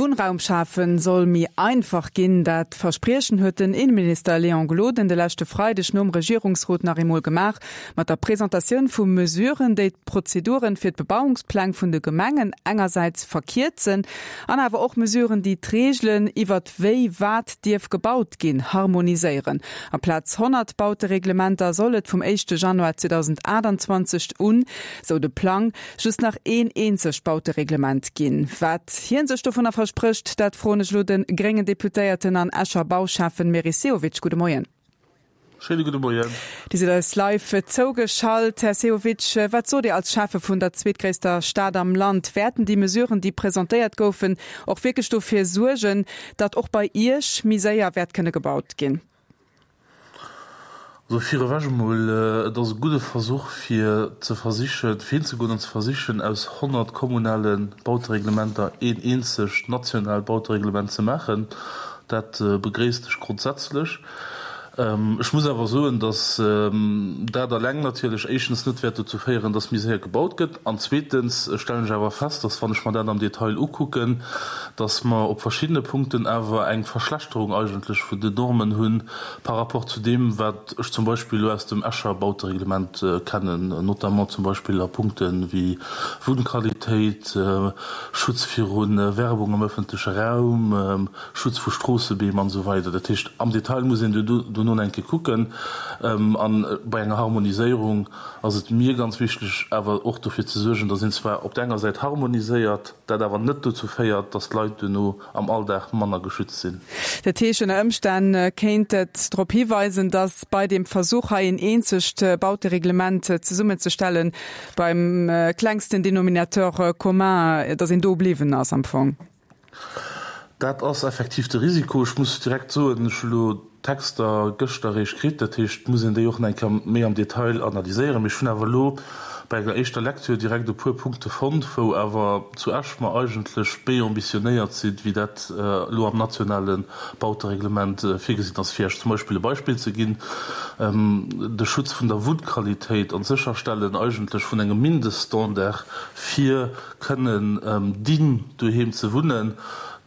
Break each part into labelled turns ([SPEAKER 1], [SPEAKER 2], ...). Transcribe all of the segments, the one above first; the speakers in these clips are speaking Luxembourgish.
[SPEAKER 1] Wunnraum schafen soll méi einfach ginn. Dat Verspriechen huet den Inneminister Léon Gloden de leschte Freideg nom Regierungsrot nach eemol gemaach, mat der Presentatioun vu Mesuren, déi d'Prozeduren fir d'Bebauungspläng vun de Gemengen engersäits verkierzen an awer och Mesuren, déi d'Reegelen iwwert wéi wat dierf gebaut ginn, harmoniséieren. Amplaz 100 Bautereglementer soll et vum éischte Januar 2028 un, sou de Plang, just nach een eenzegt Bautereglement ginn. Wat hien sech dovunner versprécht, dat froen ech elo de gréngen Deputéierten an Escher Bauschäffen Meris Sehovic. Gudde Moien.
[SPEAKER 2] Schéine gudde Moien.
[SPEAKER 1] Dir sidd eis live zougeschalt. Här Sehovic, wat sot Dir als Schäffe vun der zweetgréisster Stad am Land? Wäerten déi Mesuren, déi presentéiert goufen, och wierklech dofir suergen, datt och bei Iech méi séier wäert kënne gebaut ginn?
[SPEAKER 2] Also virewech emol, et ass e gudde Versuch fir ze versichen, fir hinzegoen an ze versichen, aus 100 kommunale Bautereglementer een eenzegt nationaalt Bautereglement ze maachen. Dat begréisst ech grondsätzlech. Ech muss awer soen, datt dat eleng natierlech éischtens net wäert dozou féieren, datt méi séier gebaut gëtt, an zweetens stellen ech awer fest, datt, wann ech mer dat am Detail ukucken, datt mer op verschiddene Punkten awer eng Verschlechterung eigentlech vun den Normen hu par rapport zu deem, wat ech zum Beispill elo aus dem Escher Bautereglement kennen, notamment zum Beispill a Punkte wéi Wunnqualitéit, Schutz viru Werbung am öffentleche Raum, Schutz vu Stroossebeem an esou weider. Dat heescht, am Detail muss een dono nach eng Kéier kucken. A bei enger Harmoniséierung ass et mir ganz wichteg, awer och dofir ze suergen, datt een zwar op der enger Säit harmoniséiert, dat awer net dozou féiert, datt d'Leit duerno am Alldag manner geschützt sinn.
[SPEAKER 1] Dat heescht, ënner Ëmstänn kéint et drop hiweisen, datt bei deem Versuch, hei een eenzegt Bautereglement zesummenzestellen, beim klengsten Dénominateur commun, datt een do bliwwen ass am Fong.
[SPEAKER 2] Dat ass effektiv de Risiko. Ech muss direkt soen, ech hu elo d'Texter gëschter eréischt kritt, dat heescht, et muss een déi och nach eng Kéier méi am Detail analyséieren. Mee ech hunn awer elo bei enger éischter Lecture direkt e puer Punkte fonnt, wou awer zu Esch mer eigentlech méi ambitionéiert sinn, wéi dat elo am nationale Bautereglement virgesinn ass. Fir Iech zum Beispill e Beispill ze ginn, De Schutz vun der Wunnqualitéit an d'Sécherstellen eigentlech vun engem Mindeststandard fir kënnen dinn, doheem ze wunnen,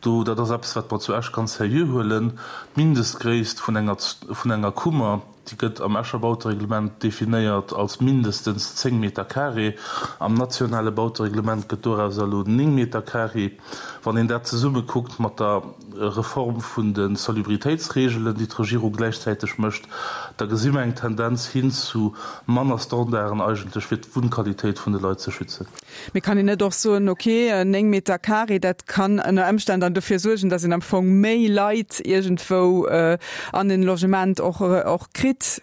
[SPEAKER 2] do, dat ass eppes, wat mer zu Esch ganz seriö huelen. D'Mindestgréisst vun enger, vun enger Kummer, déi gëtt am Escher Bautereglement definéiert als mindestens 10 Meter carré. Am nationale Bautereglement gëtt dorauser elo 9 Meter carré. Wann een dat zesumme kuckt mat der Reform vun de Salubritéitsregelen, déi d'Regierung gläichzäiteg mécht, da gesi mer eng Tendenz hin zu manner Standarden eigentlech, fir d'Wunnqualitéit vun de Leit ze schützen.
[SPEAKER 1] Mee kann een net och soen, ok, 9 Meter carré, dat kann ënner Ëmstänn dann dofir suergen, datt een am Fong méi Leit iergendwou an en Logement och kritt?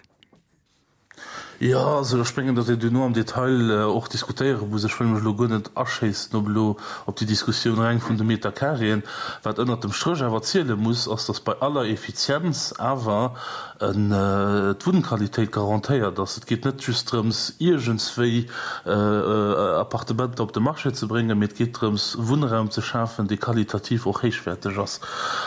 [SPEAKER 2] Jo, also ech mengen, datt een duerno am Detail och diskutéiere muss. Ech wëll mech elo guer net aschéissen op elo op déi Diskussioun reng vun de Meterkareeën. Wat ënnert dem Stréch awer ziele muss, ass, datt bei aller Effizienz awer d'Wunnqualitéit garantéiert ass. Et geet net just drëms, iergendswéi Appartementer op de Marché ze bréngen, mee et geet drëms, Wunnraum ze schafen, dee qualitativ och héichwäerteg ass.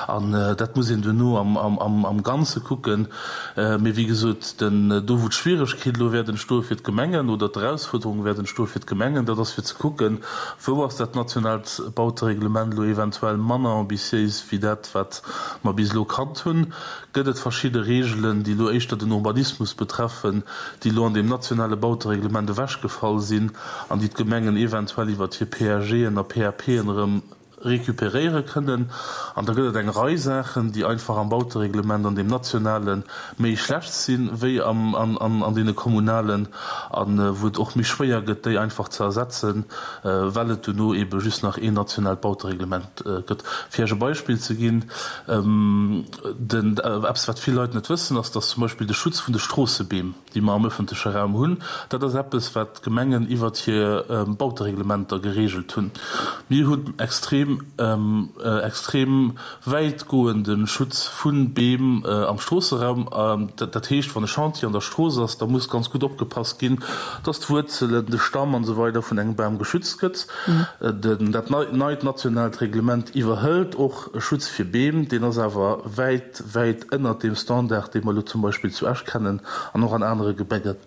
[SPEAKER 2] An dat muss een duerno am Ganze kucken. Mee wéi gesot, do wou d'Schwieregkeet elo wäert entstoe fir d'Gemengen oder d'Erausfuerderung wäert entstoe fir d'Gemengen, dat ass fir ze kucken, wou ass dat nationaalt Bautereglement elo eventuell manner ambitiéis wéi dat, wat mer bis elo kannt hunn. Gëtt et verschidde Reegelen, déi elo éischter den Urbanismus betreffen, déi elo an deem nationale Bautereglement ewechgefall sinn an déi d'Gemengen eventuell iwwert hir PAGen a PAPen erëm recuperéiere kënnen. An da gëtt et eng Rei Saachen, déi einfach am Bautereglement, an deem nationale méi schlecht sinn, wéi an deene kommunalen, a wou et och méi schwéier gëtt, déi einfach ze ersetzen, well et duerno eebe just nach een nationaalt Bautereglement gëtt. Fir Iech e Beispill ze ginn, den, eppes wat vill Leit net wëssen, ass, dass zum Beispill de Schutz vun de Stroossebeem, déi mer am öffentleche Raum hunn, dat ass eppes, wat d'Gemengen iwwert hir Bautereglementer geregelt hunn. Mir hunn extrem, extrem wäitgoende Schutz vu Beem am Stroosseraum. Dat heescht, wann e Chantier an der Strooss ass, da muss ganz gutt opgepasst ginn, dass d'Wuerzelen, de Stamm an esou weider vun engem Bam geschützt gëtt. Dat neit nationaalt Reglement iwwerhëlt och e Schutz fir Beem, deen ass awer wäit, wäit ënnert deem Standard, dee mer elo zum Beispill zu Esch kennen an och an anere Gemengen.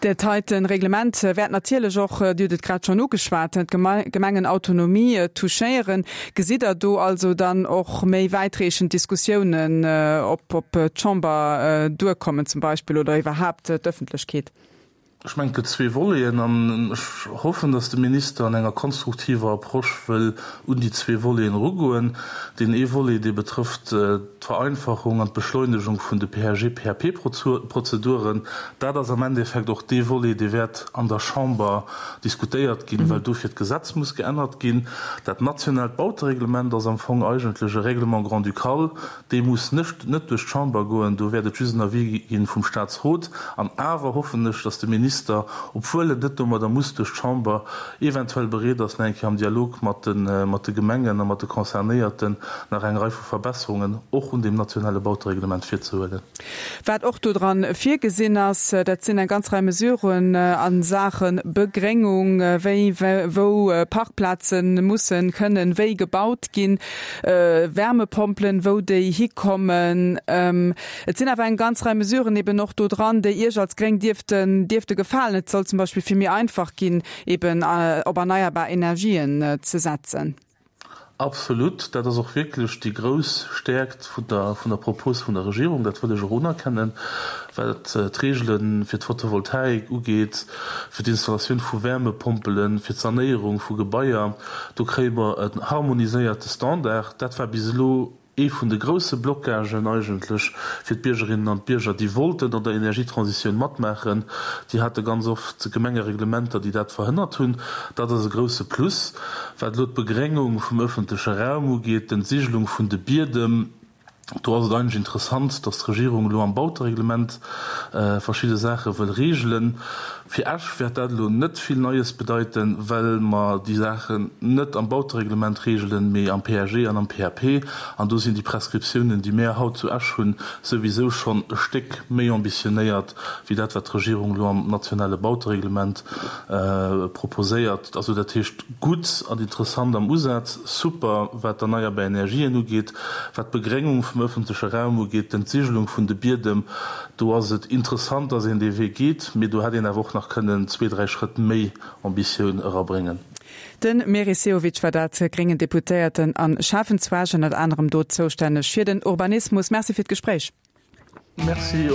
[SPEAKER 1] Dat heiten Reglement wäert natierlech och, Dir hutt et grad schonn ugeschwat, d'Gemengenautonomie touchéieren. Gesitt Der do also dann och méi wäitreechend Diskussiounen op d'Chamber duerkommen zum Beispill oder iwwerhaapt d'Ëffentlechkeet?
[SPEAKER 2] Ech mengen, et gëtt zwee Voleten an ech hoffen, datt de Minister an enger konstruktiver Approche wëll un déi zwee Voleten erugoen. Deen ee Volet, dee betrëfft d'Vereinfachung an d'Beschleunegung vun de PAG-PAP-Prozeduren. Dat ass am Endeffekt och dee Volet, dee wäert an der Chamber diskutéiert ginn, well dofir d'Gesetz muss geännert ginn. Dat nationaalt Bautereglement ass am Fong eigentlech e Règlement grand-ducal, Dee muss net net duerch d'Chamber goen, do wäert et just en Avis ginn vum Statsrot. An awer hoffen ech, datt de Minister, obwuel en net domadder muss duerch d'Chamber, eventuell bereet ass, nach eng Kéier am Dialog mat de mat de Gemengen a mat de Concernéierten nach eng Rei vu Verbesserungen och un deem nationale Bautereglement virzehuelen.
[SPEAKER 1] Wat och do dran virgesinn ass, dat sinn eng ganz Rei Mesuren a Saache Begréngung, wéi wou Parkplaze mussen, kënnen wéi gebaut ginn, Wärmepompelen, wou déi hikommen. Et sinn awer eng ganz Rei Mesuren eben och do dran, déi Iech als Gréng dierften, dierfte gefalen. Et soll zum Beispill vill méi einfach ginn, eben op erneierbar Energien ze setzen.
[SPEAKER 2] Absolut, dat ass och wierklech déi grouss Stäerkt vun der, vun der Propos vun der Regierung. Dat wëll ech och unerkennen, wat d'Regele fir d'Photovoltaik ugeet, fir d'Installatioun vu Wärmepompelen, fir d'Sanéierung vu Gebaier. Do kréie mer en harmoniséierte Standard. Dat war bis elo ee vun de grousse Blockagen eigentlech fir d'Biergerinnen an d'Bierger, déi wollten an der Energietransitioun matmaachen. Déi hate ganz oft Gemengereglementer, déi dat verhënnert hunn. Dat ass e grousse Plus. Wat elo d'Begréngung vum öffentleche Raum ugeet, d'Entsigelung vun de Biedem, do ass et eigentlech interessant, dass d'Regierung elo am Bautereglement verschidde Saache wëll reegelen. Fir Esch wäert dat elo net vill Neies bedeiten, well mer déi Saachen net am Bautereglement reegelen, mee am PAG an am PAP. An do sinn déi Prescriptiounen, déi mär haut zu Esch hunn, souwisou schonn e Stéck méi ambitionéiert wéi dat, wat d'Regierung elo am nationale Bautereglement proposéiert. Also dat heescht, gutt an interessant am Usaz, super wat d'erneierbar Energien ugeet, wat d'Begréngung vum öffentleche Raum ugeet, d'Entsigelung vun de Biedem, do ass et interessant, dass een dee Wee geet, mee do hätt een awer och nach kënnen zwee, dräi Schrëtt méi Ambitioun erabréngen.
[SPEAKER 1] De Meris Sehovic war dat, gréngen Deputéierten a Schäffenzwaarg, ënnert anerem do zoustänneg fir den Urbanismus. Merci fir d'Gespréich.
[SPEAKER 2] Merci.